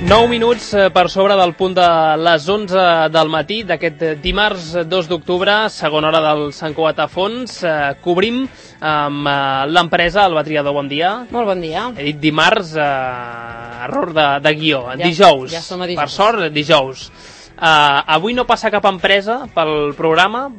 9 minuts per sobre del punt de les 11 del matí d'aquest dimarts 2 d'octubre, segona hora del Sant Cugat a Fons. Cobrim amb l'empresa, el Batriador, bon dia. Molt bon dia. He dit dimarts, error de guió, dijous. Ja som a dijous. Per sort, dijous. Avui no passa cap empresa pel programa,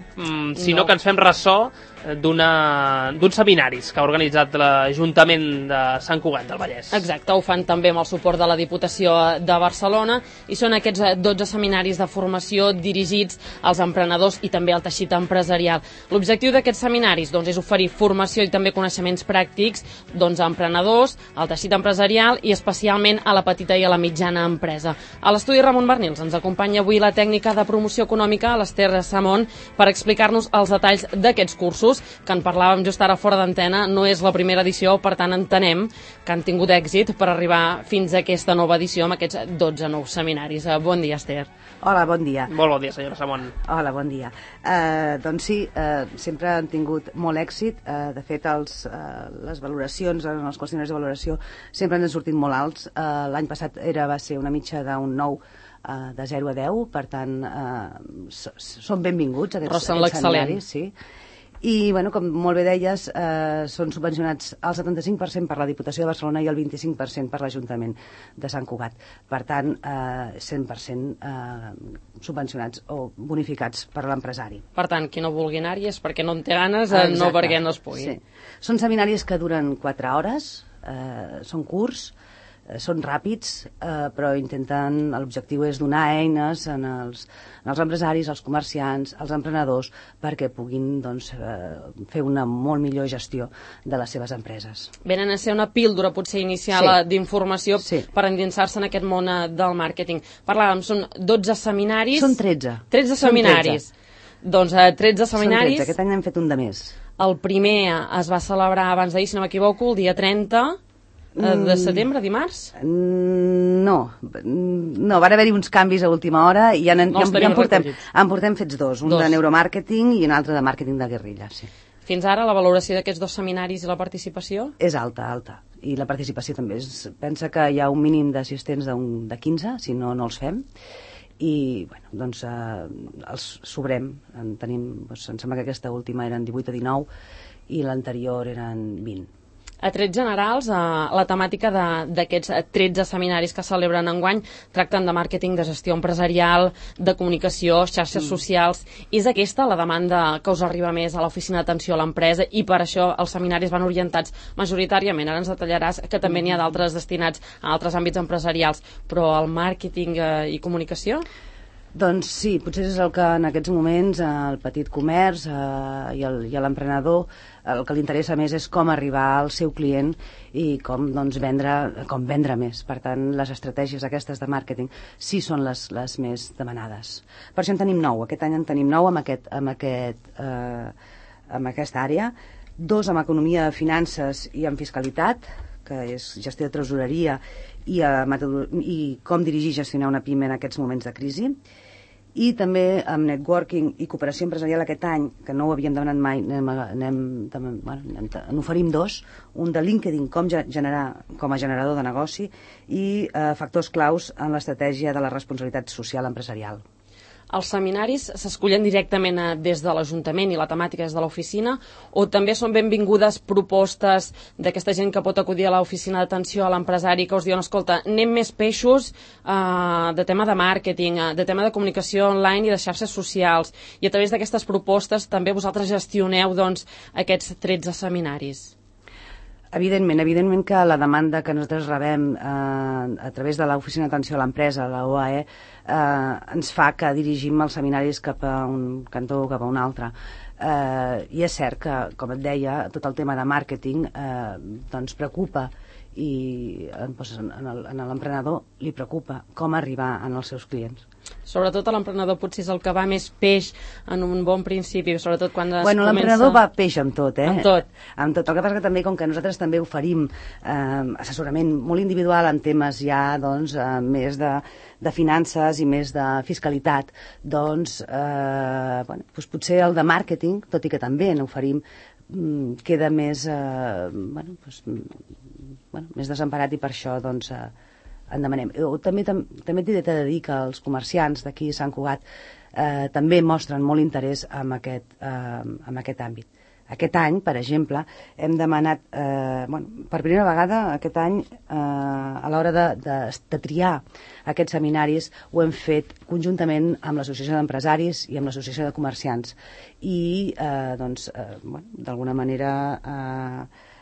sinó que ens fem ressò d'uns seminaris que ha organitzat l'Ajuntament de Sant Cugat del Vallès. Exacte, ho fan també amb el suport de la Diputació de Barcelona i són aquests 12 seminaris de formació dirigits als emprenedors i també al teixit empresarial. L'objectiu d'aquests seminaris és oferir formació i també coneixements pràctics a emprenedors, al teixit empresarial i especialment a la petita i a la mitjana empresa. A l'estudi Ramon Bernils ens acompanya avui la tècnica de promoció econòmica, l'Ester Samón, per explicar-nos els detalls d'aquests cursos que en parlàvem just ara fora d'antena. No és la primera edició, per tant entenem que han tingut èxit per arribar fins a aquesta nova edició amb aquests 12 nous seminaris. Bon dia, Esther. Hola, bon dia. Molt bon dia, senyora Samón. Hola, bon dia. Doncs sí, sempre han tingut molt èxit. De fet, les valoracions, els qüestionaris de valoració sempre ens han sortit molt alts. L'any passat va ser una mitja d'un 9 de 0 a 10, per tant són benvinguts aquests seminaris, sí. I, com molt bé deies, són subvencionats al 75% per la Diputació de Barcelona i el 25% per l'Ajuntament de Sant Cugat. Per tant, 100% subvencionats o bonificats per l'empresari. Per tant, qui no vulgui anar-hi és perquè no en té ganes, no perquè no es pugui. Sí. Són seminaris que duren 4 hores, són curts, són ràpids, però l'objectiu és donar eines als empresaris, als comerciants, als emprenedors, perquè puguin fer una molt millor gestió de les seves empreses. Venen a ser una píldora potser inicial d'informació per endinsar-se en aquest món del màrqueting. Parlàvem, són 12 seminaris... Són 13. 13 seminaris. Doncs 13 seminaris... Són 13, aquest any n'hem fet un de més. El primer es va celebrar abans d'ahir, si no m'equivoco, el dia 30... de setembre, dimarts? No, van haver-hi uns canvis a última hora i ja en portem fets dos, un de neuromàrqueting i un altre de màrqueting de guerrilla, sí. Fins ara la valoració d'aquests 2 seminaris i la participació? És alta, i la participació també. Pensa que hi ha un mínim d'assistents de 15, si no els fem, i els sobrem. Em sembla que aquesta última eren 18 o 19 i l'anterior eren 20. A trets generals, la temàtica d'aquests 13 seminaris que celebren enguany tracten de màrqueting, de gestió empresarial, de comunicació, xarxes socials. És aquesta la demanda que us arriba més a l'oficina d'atenció a l'empresa i per això els seminaris van orientats majoritàriament. Ara ens detallaràs que també n'hi ha d'altres destinats a altres àmbits empresarials, però el màrqueting i comunicació? Doncs sí, potser és el que en aquests moments el petit comerç i l'emprenedor el que li interessa més és com arribar al seu client i com vendre més. Per tant, les estratègies aquestes de màrqueting sí són les més demanades. Per això en tenim 9. Aquest any en tenim 9 amb aquesta àrea, 2 amb economia, finances i amb fiscalitat, que és gestió de tresoreria i com dirigir i gestionar una PIME en aquests moments de crisi, i també amb networking i cooperació empresarial aquest any, que no ho havíem demanat mai, n'oferim 2, un de LinkedIn com a generador de negoci i factors claus en l'estratègia de la responsabilitat social empresarial. Els seminaris s'escullen directament des de l'Ajuntament i la temàtica és de l'oficina, o també són benvingudes propostes d'aquesta gent que pot acudir a l'oficina d'atenció a l'empresari que us diuen, escolta, anem més peixos de tema de màrqueting, de tema de comunicació online i de xarxes socials, i a través d'aquestes propostes també vosaltres gestioneu aquests 13 seminaris? Evidentment que la demanda que nosaltres rebem a través de l'oficina d'atenció a l'empresa, la OAE, ens fa que dirigim els seminaris cap a un cantó o cap a un altre. I és cert que, com et deia, tot el tema de màrqueting preocupa i a l'emprenedor li preocupa com arribar als seus clients. Sobretot a l'emprenedor potser és el que va més peix en un bon principi, sobretot quan es comença... L'emprenedor va peix amb tot, Amb tot. Amb tot. El que passa que també, com que nosaltres també oferim assessorament molt individual en temes ja, més de finances i més de fiscalitat, potser el de màrqueting, tot i que també n'oferim, queda més desemparat i per això en demanem. També t'he de dir que els comerciants d'aquí a Sant Cugat també mostren molt interès en aquest àmbit. Aquest any, per exemple, hem demanat, per primera vegada aquest any, a l'hora de triar aquests seminaris, ho hem fet conjuntament amb l'Associació d'Empresaris i amb l'Associació de Comerciants. I, d'alguna manera,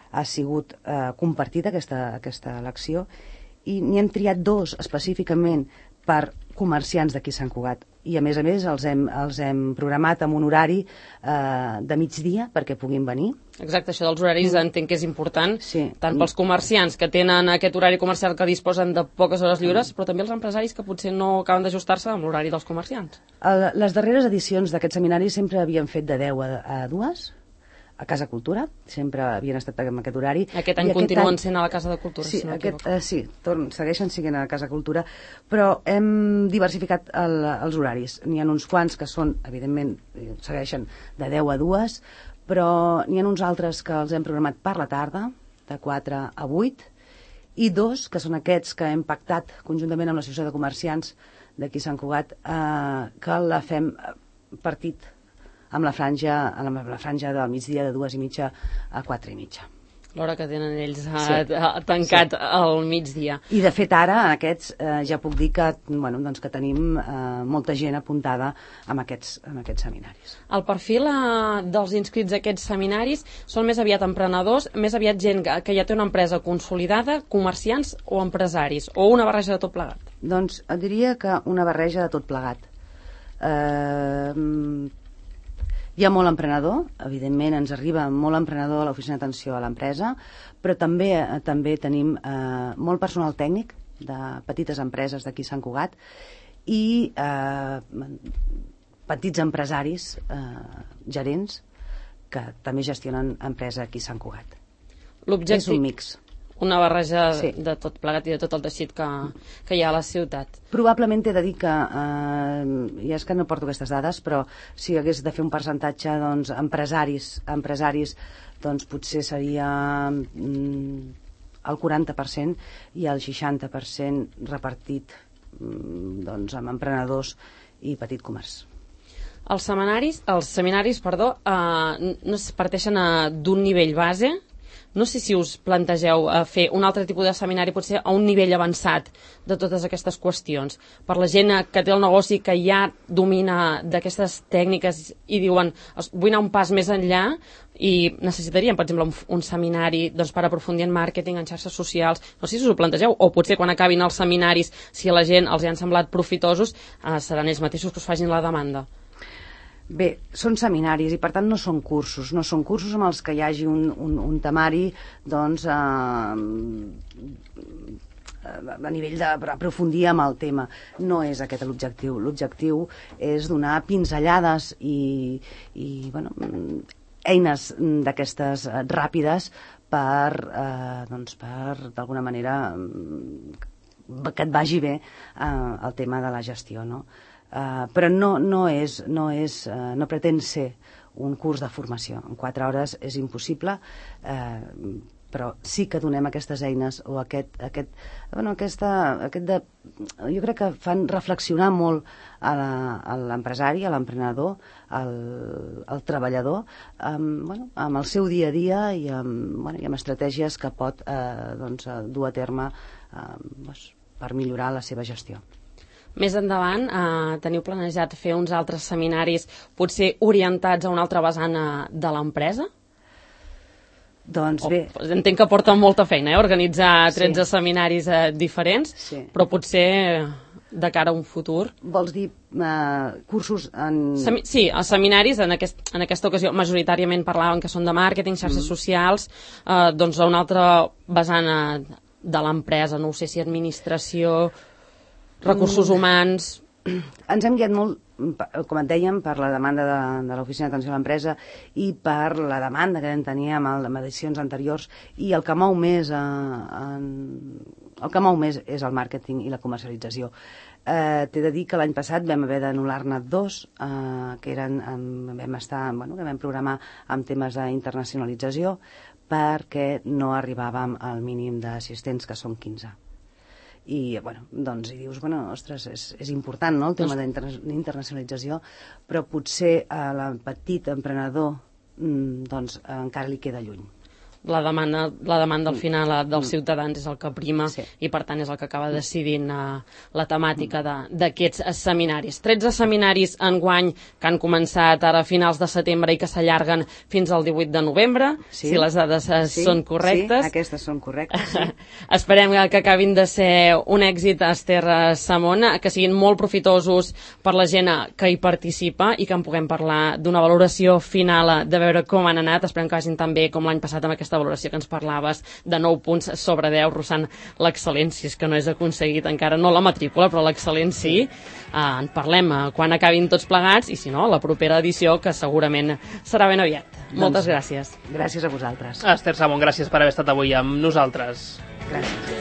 ha sigut compartida aquesta elecció i n'hi hem triat 2 específicament per comerciants d'aquí a Sant Cugat. I a més els hem programat amb un horari de migdia perquè puguin venir. Exacte, això dels horaris entenc que és important, sí. Tant pels comerciants que tenen aquest horari comercial que disposen de poques hores lliures, però també els empresaris que potser no acaben d'ajustar-se amb l'horari dels comerciants. Les darreres edicions d'aquest seminari sempre havien fet de 10 a 2, a Casa Cultura, sempre havien estat amb aquest horari. Aquest any continuen sent a la Casa de Cultura, sí, si no m'equivoco. Sí, segueixen sent a la Casa Cultura, però hem diversificat els horaris. N'hi ha uns quants que són, evidentment, segueixen de 10 a 2, però n'hi ha uns altres que els hem programat per la tarda, de 4 a 8, i 2, que són aquests que hem pactat conjuntament amb l'Associació de Comerciants d'aquí a Sant Cugat, que la fem partit amb la franja del migdia de 2:30 a 4:30. L'hora que tenen ells tancat al migdia. I de fet ara, en aquests, ja puc dir que tenim molta gent apuntada en aquests seminaris. El perfil dels inscrits a aquests seminaris són més aviat emprenedors, més aviat gent que ja té una empresa consolidada, comerciants o empresaris, o una barreja de tot plegat? Doncs et diria que una barreja de tot plegat. Hi ha molt emprenedor, evidentment ens arriba molt emprenedor a l'oficina d'atenció a l'empresa, però també tenim molt personal tècnic de petites empreses d'aquí a Sant Cugat i petits empresaris, gerents, que també gestionen empresa aquí a Sant Cugat. És un mix. Una barreja de tot plegat i de tot el teixit que hi ha a la ciutat. Probablement t'he de dir que, ja és que no porto aquestes dades, però si hagués de fer un percentatge, doncs, empresaris, doncs potser seria el 40% i el 60% repartit doncs, amb emprenedors i petit comerç. Els seminaris, no es parteixen d'un nivell base. No sé si us plantegeu fer un altre tipus de seminari, potser a un nivell avançat de totes aquestes qüestions. Per la gent que té el negoci, que ja domina d'aquestes tècniques i diuen, vull anar un pas més enllà i necessitaríem, per exemple, un seminari per aprofundir en màrqueting, en xarxes socials. No sé si us ho plantegeu, o potser quan acabin els seminaris, si a la gent els han semblat profitosos, seran ells mateixos que us facin la demanda. Bé, són seminaris i per tant no són cursos amb els que hi hagi un temari doncs a nivell d'aprofundir amb el tema. No és aquest l'objectiu. L'objectiu és donar pinzellades i eines d'aquestes ràpides per d'alguna manera que et vagi bé el tema de la gestió, no? Però no pretén ser un curs de formació. En 4 hores és impossible, però sí que donem aquestes eines o jo crec que fan reflexionar molt a l'empresari, a l'emprenedor, al treballador, amb el seu dia a dia i amb estratègies que pot dur a terme per millorar la seva gestió. Més endavant teniu planejat fer uns altres seminaris potser orientats a una altra vessant de l'empresa? Doncs bé... Entenc que porta molta feina, organitzar 13 seminaris diferents, però potser de cara a un futur... Vols dir cursos en... Sí, els seminaris en aquesta ocasió majoritàriament parlaven que són de màrqueting, xarxes socials, doncs a una altra vessant de l'empresa, no ho sé si administració... recursos humans... Ens hem guiat molt, com et dèiem, per la demanda de l'Oficina d'Atenció a l'Empresa i per la demanda que vam tenir amb edicions anteriors, i el que mou més és el màrqueting i la comercialització. T'he de dir que l'any passat vam haver d'anul·lar-ne 2 que vam programar amb temes d'internacionalització perquè no arribàvem al mínim d'assistents, que són 15. i bueno, doncs hi dius, bueno, ostres, és important, no?, el tema d'internacionalització, però potser a la petit emprenedor doncs encara li queda lluny. La demanda al final dels ciutadans és el que prima, i per tant és el que acaba decidint la temàtica d'aquests seminaris. 13 seminaris enguany que han començat ara a finals de setembre i que s'allarguen fins al 18 de novembre, si les dades són correctes. Sí, aquestes són correctes, sí. Esperem que acabin de ser un èxit, Esther Samón, que siguin molt profitosos per la gent que hi participa i que en puguem parlar d'una valoració final, de veure com han anat. Esperem que vagin tan bé com l'any passat amb aquesta valoració que ens parlaves de 9 punts sobre 10, rossant l'excel·lència, que no és aconseguit encara, no la matrícula, però l'excel·lent sí. En parlem quan acabin tots plegats, i si no, la propera edició, que segurament serà ben aviat. Moltes gràcies. Gràcies a vosaltres. Esther Samón, gràcies per haver estat avui amb nosaltres. Gràcies.